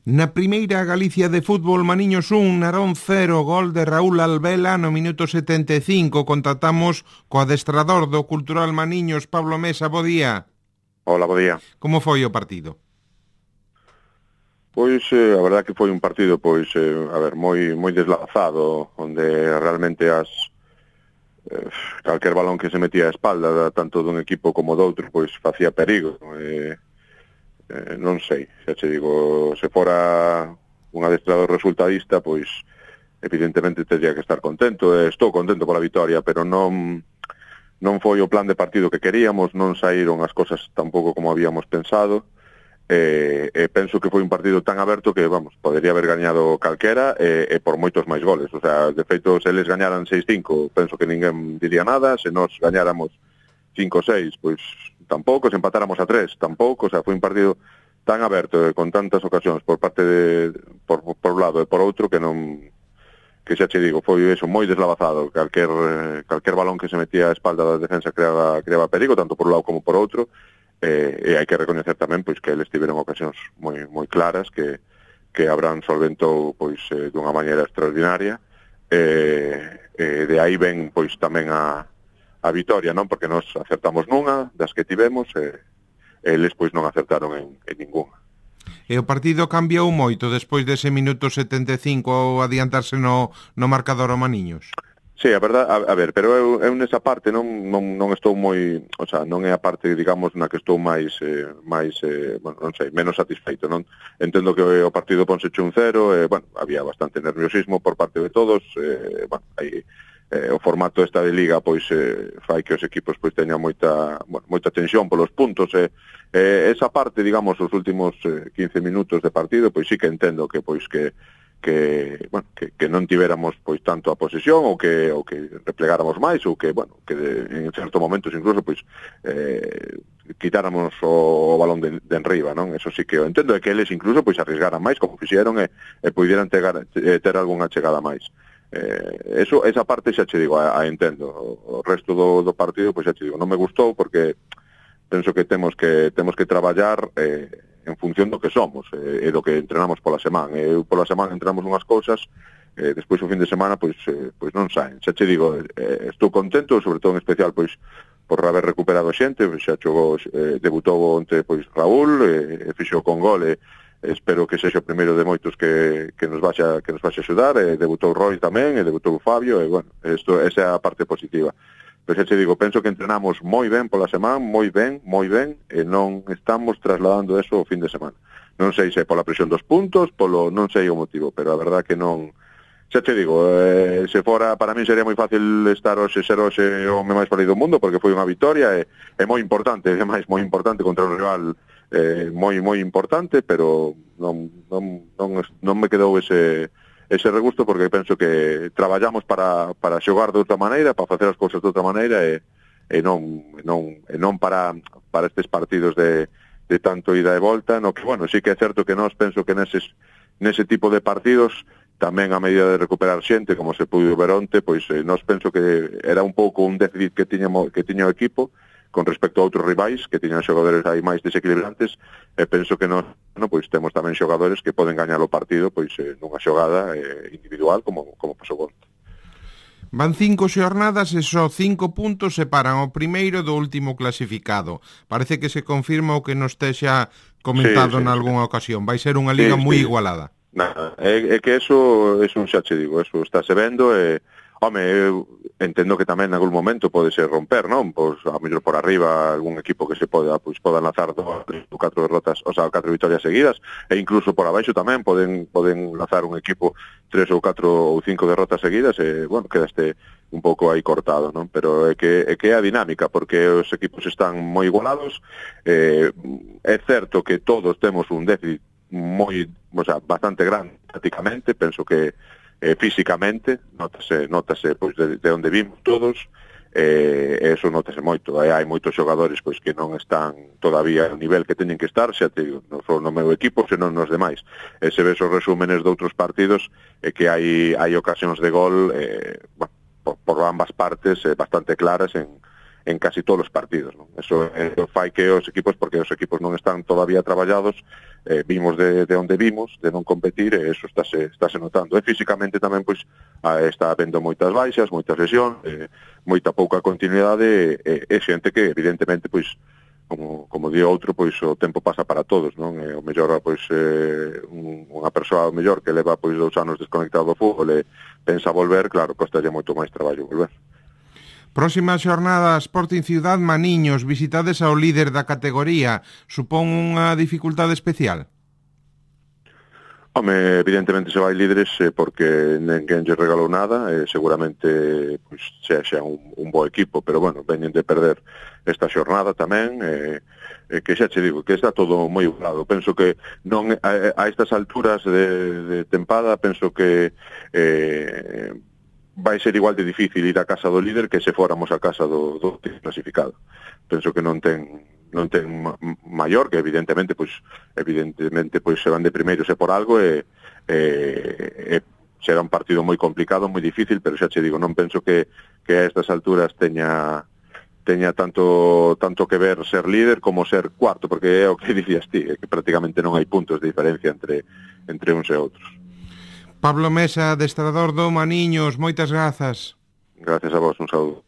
Na primeira Galicia de fútbol, Maniños 1, Narón 0, gol de Raúl Albela no minuto 75. Contactamos co adestrador do Cultural Maniños, Pablo Mesa. Bo día. Hola, bo día. Como foi o partido? Pois, a verdad que foi un partido, pois, moi deslazado, onde realmente calquer balón que se metía a espalda, tanto dun equipo como do outro, pois, facía perigo. Non sei, xa che digo, se fora un adestrador resultadista, pois, evidentemente tendría que estar contento, estou contento pola vitoria, pero non foi o plan de partido que queríamos, non saíron as cosas tampouco como habíamos pensado, penso que foi un partido tan aberto que, vamos, podería haber gañado calquera e por moitos máis goles. O sea, de feito, se eles gañaran 6-5, penso que ninguén diría nada. Se nos gañáramos 5-6, pois tampouco. Se empatáramos a 3, tampouco. O sea, foi un partido tan aberto con tantas ocasións por parte por un lado e por outro que non, que xa che digo, foi eso, moi deslavazado. Calquer balón que se metía a espalda da defensa creaba perigo, tanto por un lado como por outro. E hai que recoñecer tamén pois que eles tiveron ocasións moi claras que Abraham solventou pois dunha maneira extraordinaria, de aí ven pois tamén a vitoria, non? Porque nós acertamos nunha das que tivemos e eles pois non acertaron en ninguna. E o partido cambiou moito despois dese minuto 75 ao adiantarse no marcador o Maniños? Sí, a verdad, a ver, pero eu nesa parte non estou moi, o sea, non é a parte, digamos, na que estou máis, bueno, non sei, menos satisfeito, non? Entendo que o partido ponse 1-0, bueno, había bastante nerviosismo por parte de todos, bueno, aí o formato esta de liga, pois, fai que os equipos, pois, teñan moita tensión polos puntos, esa parte, digamos, os últimos 15 minutos de partido, pois sí que entendo que, pois, que non tivéramos pois tanto a posesión ou que replegáramos máis ou que, bueno, que en certos momentos incluso pois quitáramos o balón de enriba, non? Eso sí que eu entendo, que eles incluso pois arriesgaran máis como fixeron e pudieran ter algunha chegada máis. Esa parte xa che digo, a entendo. O resto do partido pois xa che digo, non me gustou porque penso que temos que traballar en función do que somos e do que entrenamos pola semana. Eu pola semana entrenamos unhas cousas, despois o fin de semana pois non saen. Xa che digo, estou contento, sobre todo en especial pois por haber recuperado xente, xa xogou, debutou onte pois Raúl, fixo con gol e espero que sexa o primeiro de moitos que nos vaxa axudar, debutou Roy tamén, debutou Fabio, e bueno, esa é a parte positiva. Pero xa te digo, penso que entrenamos moi ben pola semana, moi ben, e non estamos trasladando eso ao fin de semana. Non sei se pola presión dos puntos, non sei o motivo, pero a verdad que non. Xa te digo, se fora, para mí sería moi fácil ser hoxe o home máis feliz do mundo, porque foi unha vitoria e moi importante, ademais moi importante contra un rival moi importante, pero non me quedou ese regusto, porque penso que traballamos para xogar de outra maneira, para facer as cousas de outra maneira e non para estes partidos de tanto ida e volta, no que, bueno, sí que é certo que nós penso que nese tipo de partidos tamén a medida de recuperar xente, como se pudo ver onte, pois nós penso que era un pouco un déficit que tiña o equipo con respecto a outros rivais que tiñan xogadores aí máis desequilibrantes, e penso que nós pois temos tamén xogadores que poden gañar o partido pois nunha xogada individual como pasou onte. Van 5 xornadas e só 5 puntos separan o primeiro do último clasificado. Parece que se confirma o que nos texa comentado nalgúna ocasión. Vai ser unha liga moi igualada. Nada, é que eso xa che digo, eso estáse vendo e home, eu entendo que tamén en algún momento pode ser romper, non? Pois a mellor por arriba algún equipo que se poda lanzar 2 ou 4 derrotas, o sea, 4 vitorias seguidas, e incluso por abaixo tamén poden lanzar un equipo 3 ou 4 ou 5 derrotas seguidas e, bueno, quedaste un pouco aí cortado, non? Pero é que é a dinámica, porque os equipos están moi igualados, é certo que todos temos un déficit bastante grande prácticamente, penso que físicamente notase pois de onde vimos todos, eso notase moito. Hai moitos xogadores pois que non están todavía ao nivel que teñen que estar, xa te digo, non só no meu equipo, senón nos demais. Se ves os resúmenes de outros partidos, que hai ocasións de gol por ambas partes bastante claras en en casi todos os partidos, non? Eso fai que os equipos, porque os equipos non están todavía traballados, vimos de onde vimos, de non competir, e eso estáse notando. E físicamente tamén, pois, está habendo moitas baixas, moitas lesións, moita pouca continuidade, e xente que, evidentemente, pois, como di outro, pois o tempo pasa para todos, non? O mellor, pois, unha persoa o mellor que leva pois 2 anos desconectado do fútbol e pensa volver, claro, costalle moito máis traballo volver. Próxima xornada, Sporting Ciudad Maniños, visitades ao líder da categoría, supón unha dificultade especial? Home, evidentemente se vai líderes porque ninguén lle regalou nada, seguramente pois xa un bo equipo, pero bueno, veñen de perder esta xornada tamén, que xa che digo, que está todo moi igualado. Penso que non a estas alturas de tempada, penso que vai ser igual de difícil ir a casa do líder que se fóramos a casa do clasificado. Penso que non ten maior, que evidentemente pois se van de primeiros e por algo, e será un partido moi complicado, moi difícil, pero xa che digo, non penso que a estas alturas teña tanto que ver ser líder como ser cuarto, porque é o que dicías ti, que prácticamente non hai puntos de diferencia entre uns e outros. Pablo Mesa, adestrador do Maniños, moitas grazas. Gracias a vos, un saúdo.